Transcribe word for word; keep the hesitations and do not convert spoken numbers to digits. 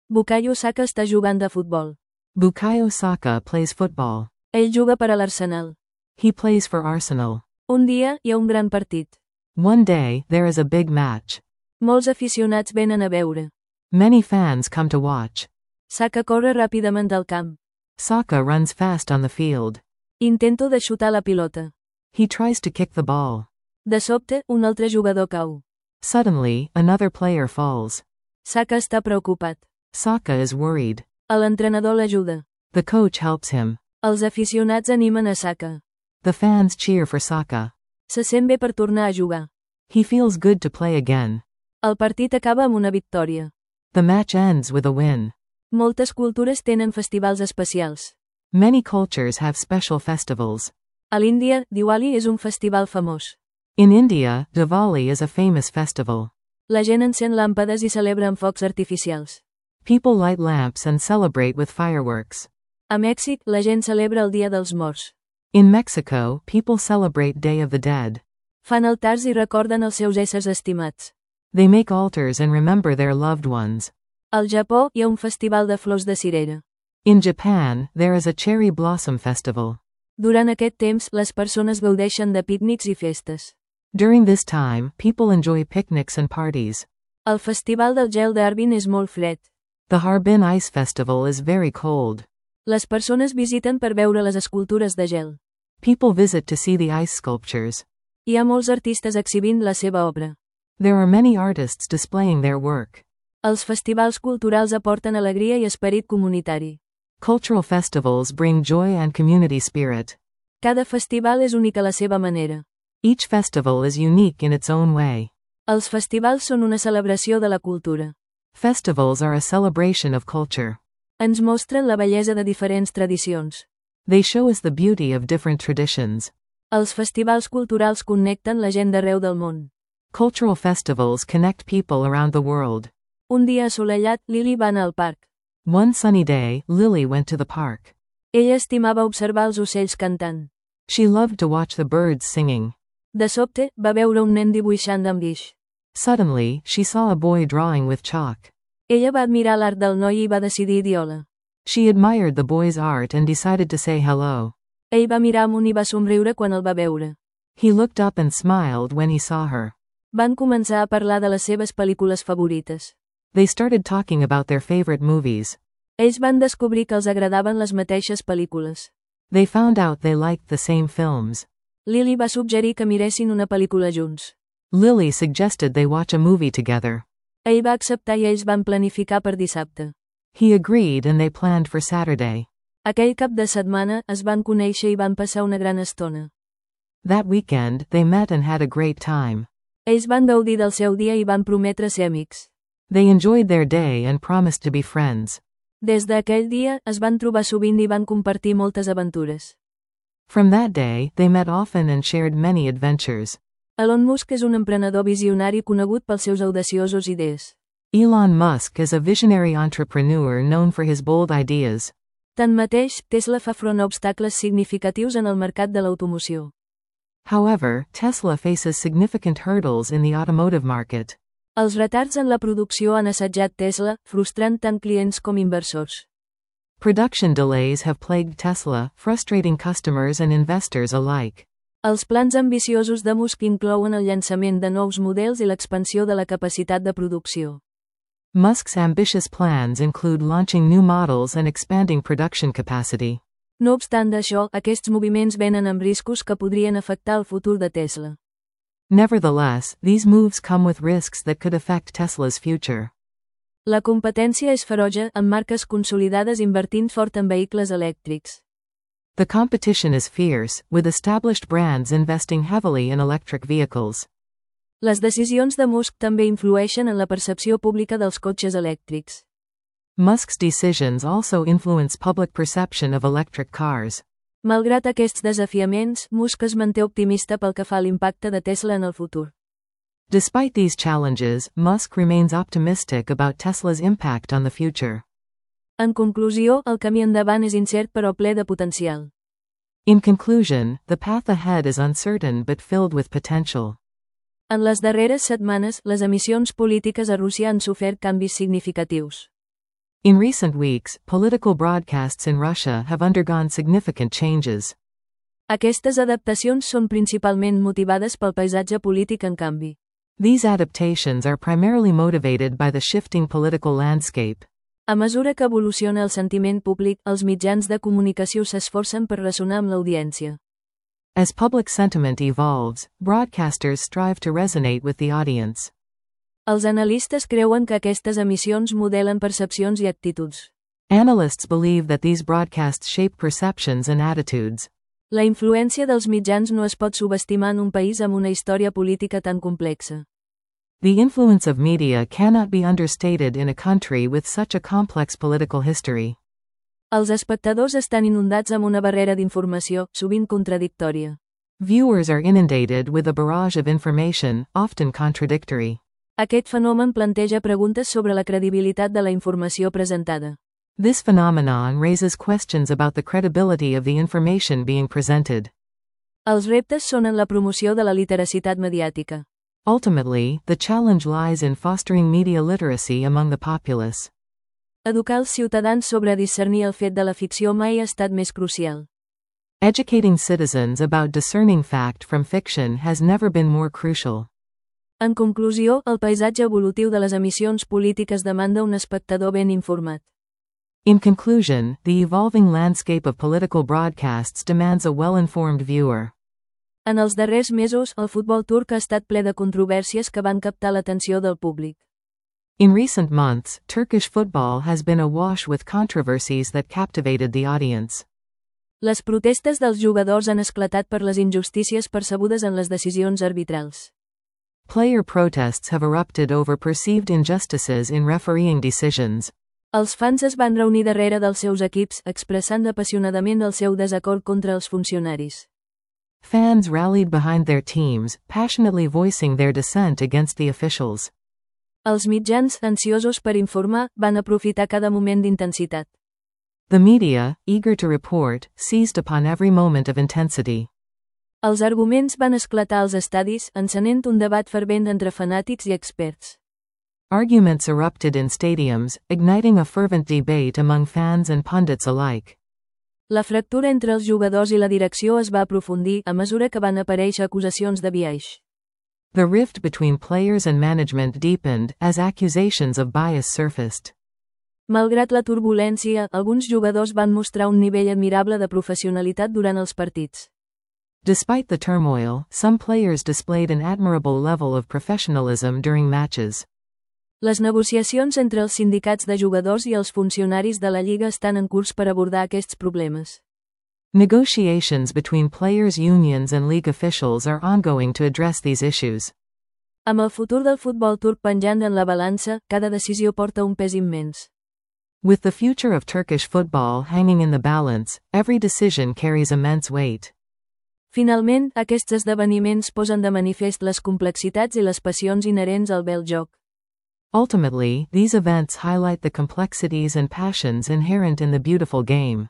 Bukayo Saka està jugant a futbol. Bukayo Saka plays football. Ell juga per a l'Arsenal. He plays for Arsenal. Un dia, hi ha un gran partit. One day, there is a big match. Molts aficionats venen a veure. Many fans come to watch. Saka corre ràpidament al camp. Saka runs fast on the field. Intento de xutar la pilota. He tries to kick the ball. De sobte, un altre jugador cau. Suddenly, another player falls. Saka està preocupat. Saka is worried. L'entrenador l'ajuda. The coach helps him. Els aficionats animen a Saka. The fans cheer for Saka. Se sent bé per tornar a jugar. He feels good to play again. El partit acaba amb una victòria. The match ends with a win. Moltes cultures tenen festivals especials. Many cultures have special festivals. A l'Índia, Diwali és un festival famós. In India, Diwali is a famous festival. La gent encén làmpades i celebra amb focs artificials. People light lamps and celebrate with fireworks. A Mèxic, la gent celebra el Dia dels Morts. In Mexico, people celebrate Day of the Dead. Fan altars i recorden els seus éssers estimats. They make altars and remember their loved ones. Al Japó, hi ha un festival de flors de cirera. In Japan, there is a cherry blossom festival. Durant aquest temps, les persones gaudeixen de pícnics i festes. During this time, people enjoy picnics and parties. El festival del gel d'Harbin és molt fred. The Harbin Ice Festival is very cold. Les persones visiten per veure les escultures de gel. People visit to see the ice sculptures. Hi ha molts artistes exhibint la seva obra. There are many artists displaying their work. Els festivals culturals aporten alegria i esperit comunitari. Cultural festivals bring joy and community spirit. Cada festival és únic a la seva manera. Each festival is unique in its own way. Els festivals són una celebració de la cultura. Festivals are a celebration of culture. Ens mostren la bellesa de diferents tradicions. They show us the beauty of different traditions. Els festivals culturals connecten la gent d'arreu del món. Cultural festivals connect people around the world. Un dia assolellat, Lily va anar al parc. One sunny day, Lily went to the park. Ella estimava observar els ocells cantant. She loved to watch the birds singing. De sobte, va veure un nen dibuixant amb guix. Suddenly, she saw a boy drawing with chalk. Ella va admirar l'art del noi i va decidir dir-hola. She admired the boy's art and decided to say hello. Ell va mirar amunt i va somriure quan el va veure. He looked up and smiled when he saw her. Van començar a parlar de les seves pel·lícules favorites. They started talking about their favorite movies. Ells van descobrir que els agradaven les mateixes pel·lícules. They found out they liked the same films. Lily va suggerir que miressin una pel·lícula junts. Lily suggested they watch a movie together. Ell va acceptar i ells van planificar per dissabte. He agreed and they planned for Saturday. Aquell cap de setmana, es van conèixer i van passar una gran estona. That weekend, they met and had a great time. Ells van gaudir del seu dia i van prometre ser amics. They enjoyed their day and promised to be friends. Des d'aquell dia, es van trobar sovint i van compartir moltes aventures. From that day, they met often and shared many adventures. Elon Musk és un emprenedor visionari conegut pels seus audaciosos idees. Elon Musk is a visionary entrepreneur known for his bold ideas. Tanmateix, Tesla fa front a obstacles significatius en el mercat de l'automoció. However, Tesla faces significant hurdles in the automotive market. Els retards en la producció han assetjat Tesla, frustrant tant clients com inversors. Production delays have plagued Tesla, frustrating customers and investors alike. Els plans ambiciosos de Musk inclouen el llançament de nous models i l'expansió de la capacitat de producció. Musk's ambitious plans include launching new models and expanding production capacity. No obstant això, aquests moviments venen amb riscos que podrien afectar el futur de Tesla. Nevertheless, these moves come with risks that could affect Tesla's future. La competència és ferotge, amb marques consolidades invertint fort en vehicles elèctrics. The competition is fierce, with established brands investing heavily in electric vehicles. Les decisions de Musk també influeixen en la percepció pública dels cotxes elèctrics. Musk's decisions also influence public perception of electric cars. Malgrat aquests desafiaments, Musk es manté optimista pel que fa a l'impacte de Tesla en el futur. Despite these challenges, Musk remains optimistic about Tesla's impact on the future. En conclusió, el camí endavant és incert però ple de potencial. In conclusion, the path ahead is uncertain but filled with potential. En les darreres setmanes, les emissions polítiques a Rússia han sofert canvis significatius. In recent weeks, political broadcasts in Russia have undergone significant changes. Aquestes adaptacions són principalment motivades pel paisatge polític en canvi. These adaptations are primarily motivated by the shifting political landscape. A mesura que evoluciona el sentiment públic, els mitjans de comunicació s'esforcen per ressonar amb l'audiència. As public sentiment evolves, broadcasters strive to resonate with the audience. Els analistes creuen que aquestes emissions modelen percepcions i actituds. Analysts believe that these broadcasts shape perceptions and attitudes. La influència dels mitjans no es pot subestimar en un país amb una història política tan complexa. The influence of media cannot be understated in a country with such a complex political history. Els espectadors estan inundats amb una barrera d'informació, sovint contradictòria. Viewers are inundated with a barrage of information, often contradictory. Aquest fenomen planteja preguntes sobre la credibilitat de la informació presentada. This phenomenon raises questions about the credibility of the information being presented. Els reptes són en la promoció de la literacitat mediàtica. Ultimately, the challenge lies in fostering media literacy among the populace. Educar els ciutadans sobre discernir el fet de la ficció mai ha estat més crucial. Educating citizens about discerning fact from fiction has never been more crucial. En conclusió, el paisatge evolutiu de les emissions polítiques demanda un espectador ben informat. In conclusion, the evolving landscape of political broadcasts demands a well-informed viewer. En els darrers mesos, el futbol turc ha estat ple de controvèrsies que van captar l'atenció del públic. In recent months, Turkish football has been awash with controversies that captivated the audience. Les protestes dels jugadors han esclatat per les injustícies percebudes en les decisions arbitrals. Player protests have erupted over perceived injustices in refereeing decisions. Els fans es van reunir darrere dels seus equips, expressant apassionadament el seu desacord contra els funcionaris. Fans rallied behind their teams, passionately voicing their dissent against the officials. Els mitjans, ansiosos per informar, van aprofitar cada moment d'intensitat. The media, eager to report, seized upon every moment of intensity. Els arguments van esclatar als estadis, encenent un debat fervent entre fanàtics i experts. Arguments erupted in stadiums, igniting a fervent debate among fans and pundits alike. La fractura entre els jugadors i la direcció es va aprofundir a mesura que van aparèixer acusacions de biaix. The rift between players and management deepened as accusations of bias surfaced. Malgrat la turbulència, alguns jugadors van mostrar un nivell admirable de professionalitat durant els partits. Despite the turmoil, some players displayed an admirable level of professionalism during matches. Les negociacions entre els sindicats de jugadors i els funcionaris de la Lliga estan en curs per abordar aquests problemes. Negotiations between players' unions and league officials are ongoing to address these issues. Amb el futur del futbol turc penjant en la balança, cada decisió porta un pes immens. With the future of Turkish football hanging in the balance, every decision carries immense weight. Finalment, aquests esdeveniments posen de manifest les complexitats i les passions inherents al bel joc. Ultimately, these events highlight the complexities and passions inherent in the beautiful game.